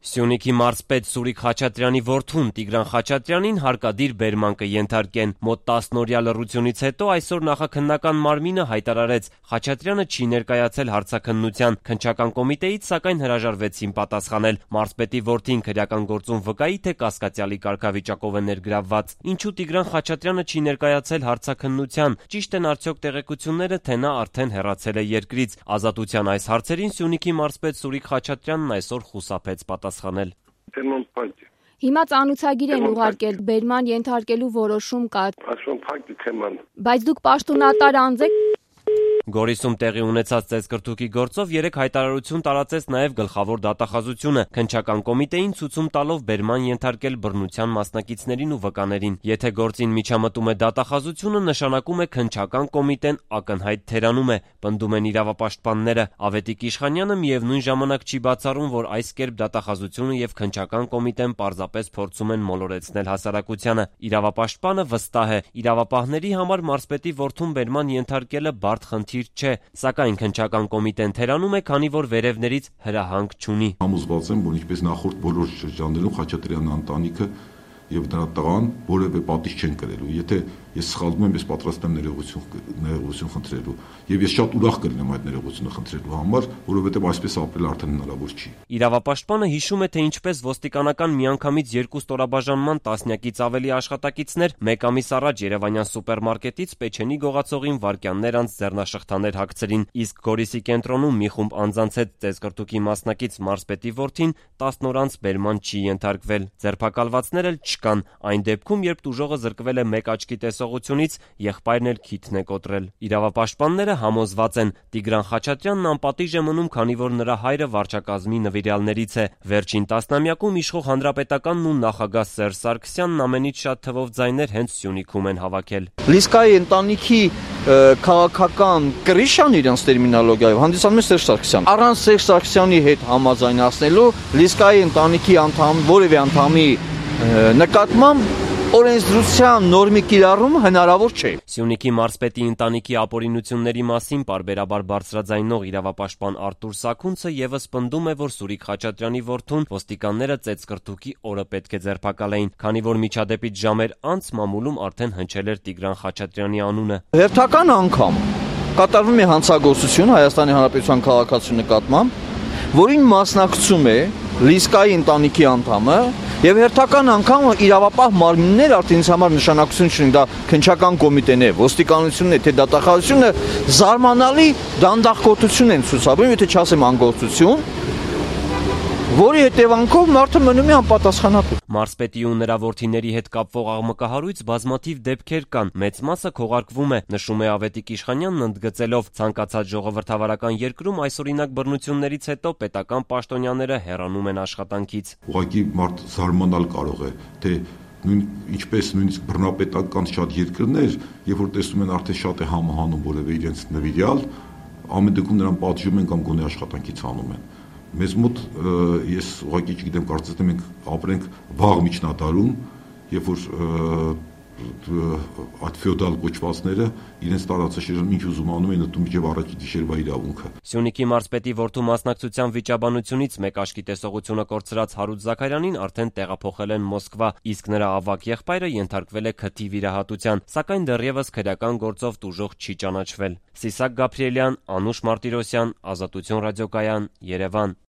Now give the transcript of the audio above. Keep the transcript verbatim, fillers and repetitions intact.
Սյունիքի մարզպետ Սուրիկ Խաչատրյանի որդուն Տիգրան Խաչատրյանին հարկադիր բերման կենթարկեն։ Մոտ տասնօրյա լռությունից հետո այսօր նախաքննական մարմինը հայտարարեց՝ Խաչատրյանը չի ներկայացել հարցաքննության, քննչական կոմիտեից սակայն հրաժարվեցին պատասխանել։ Մարզպետի որդին քրեական գործում վկայի, թե կասկածյալի կարգավիճակով է ներգրավված։ Ինչու Տիգրան Խաչատրյանը չի ներկայացել հարցաքննության, ճիշտ են արդյոք տեղեկությունները, թե նա արդեն հեռացել է երկրից։ Ազատության այս հարցերին Սյունիքի մարզպետ Սուրիկ Խաչատրյանն այսօր խուսափեց պատասխանել։ Հիմա ծանուցագիր են ուղարկել, բերման ենթարկելու որոշում կա։ Բայց դուք պաշտոնատար անձ եք։ Գորիսում տեղի ունեցած ծեծկռթուքի գործով երեք հայտարարություն տարածեց նաև գլխավոր դատախազությունը, քննչական կոմիտեին ցուցում տալով բերման ենթարկել բռնության մասնակիցներին ու վկաներին։ Եթե գործին միջամտում է դատախազությունը, նշանակում է քննչական կոմիտեն ակնհայտ թերանում է, պնդում են իրավապաշտպանները։ Ավետիք Իշխանյանը միևնույն ժամանակ չի բացառում, որ այս կերպ դատախազությունը եւ քննչական կոմիտեն պարզապես փորձում են մոլորեցնել հասարակությանը։ Իրավապաշտպանը վստահ է, իրավապահների համար մարզպետի որդուն բերման ենթարկելը բարդ խնդիր չէ, սակայն քննչական կոմիտեն թերանում է, քանի որ վերևներից հրահանգ չունի։ Համոզված եմ, որ ինչպես նախորդ բոլոր շրջաններում Խաչատրյանի ընտանիքը եւ դրա տղան որևէ պատիժ չեն կրելու։ Եթե ես սխալվում եմ, ես պատրաստ եմ ներողություն ներողություն խնդրելու եւ ես շատ ուրախ կլինեմ այդ ներողությունը խնդրելու համար, որովհետեւ այսպես ապրել արդեն հնարավոր չի։ Իրավապաշտպանը հիշում է, թե ինչպես ոստիկանական միանգամից երկու ստորաբաժանման տասնյակից ավելի աշխատակիցներ մեկ ամիս առաջ Երևանյան սուպերմարկետից Պեչենի գողացողին վայրկյաններ անց ձեռնաշղթաներ հագցրին, իսկ Գորիսի կենտրոնում մի խումբ անձանց հետ ծեծկռթուքի մասնակից մարզպետի որդին տասն օր անց բերման չի ենթարկվել։ Ձերբակալվածներ էլ չկան, այն դեպքում, երբ տուժողը զրկվել է մեկ աչքի տեսողությունից, եղբայրն էլ քիթն է կոտրել։ Իրավապաշտպանները համոզված են, Տիգրան Խաչատրյանն անպատիժ է մնում, քանի որ նրա հայրը վարչակազմի նվիրյալներից է։ Վերջին տասնամյակում իշխող հանրապետականն ու նախագահ Սերժ Սարգսյանն ամենից շատ թվով ձայներ հենց Սյունիքում են հավաքել։ Լիսկայի ընտանիքի քաղաքական կրիշան իրենց տերմինոլոգիայով հանդիսանում է Սերժ Սարգսյան։ Առանց Սերժ Սարգսյանի հետ համաձայնացնելու Լիսկայի ընտանիքի անդամ որևէ անդամի նկատմամբ օրենսդրության նորմի կիրառումը հնարավոր չէ։ Սյունիքի մարզպետի ընտանիքի ապօրինությունների մասին պարբերաբար բարձրաձայնող իրավապաշտպան Արտուր Սաքունցը եւս պնդում է, որ Սուրիկ Խաչատրյանի որդուն ոստիկանները ծեծկռթուքի օրը պետք է ձերբակալեին, քանի որ միջադեպից ժամեր անց մամուլում արդեն հնչել էր Տիգրան Խաչատրյանի անունը։ Հերթական անգամ կատարվում է հանցագործություն Հայաստանի Հանրապետության քաղաքացու նկատմամբ, որին մասնակցում է Լիսկայի ընտանիքի անդամը, եւ հերթական անգամ իրավապահ մարմիններ արդեն ինձ համար նշանակություն չունի, դա քննչական կոմիտեն է, ոստիկանությունն է, թե դատախազությունը զարմանալի դանդաղկոտություն են ցուցաբերում, եթե չասեմ անգործություն, որի հետևանքով մարդը մնում է անպատասխանատու։ Մարզպետի ու նրա որդիների հետ կապվող աղմկահարույց բազմաթիվ դեպքեր կան, մեծ մասը քողարկվում է, նշում է Ավետիք Իշխանյանն ընդգծելով, ցանկացած ժողովրդավարական երկրում այսօրինակ բռնություններից հետո պետական պաշտոնյաները հեռանում են աշխատանքից։ Ուղղակի մարդ զարմանալ կարող է, թե նույն ինչպես նույնիսկ բռնապետական շատ երկրներ, երբ որ տեսնում են արդեն շատ է համահանում որևէ իրենց նվիրյալ, ամեն դեպքում նրան պատժում են կամ գոնե աշխատանքից հանում են։ Մեզ մոտ ես ուղղակի չգիտեմ, կարծես թե մենք ապրենք վաղ միջնադարում, երբ որ այդ ֆեոդալ կոչվածները իրենց տարածաշրջանում ինչ ուզում անում են, ուտում մինչև առաջի գիշերվա իրավունքը։ Սյունիքի մարզպետի որդու մասնակցության վիճաբանությունից մեկ աչքի տեսողությունը կորցրած Հարութ Զաքարյանին արդեն տեղափոխել են Մոսկվա, իսկ նրա ավագ եղբայրը ենթարկվել է քթի վիրահատության, սակայն դեռևս քրեական գործով տուժող չի ճանաչվել։ Սիսակ Գաբրիելյան, Անուշ Մարտիրոսյան, Ազատություն ռադիոկայան, Երևան։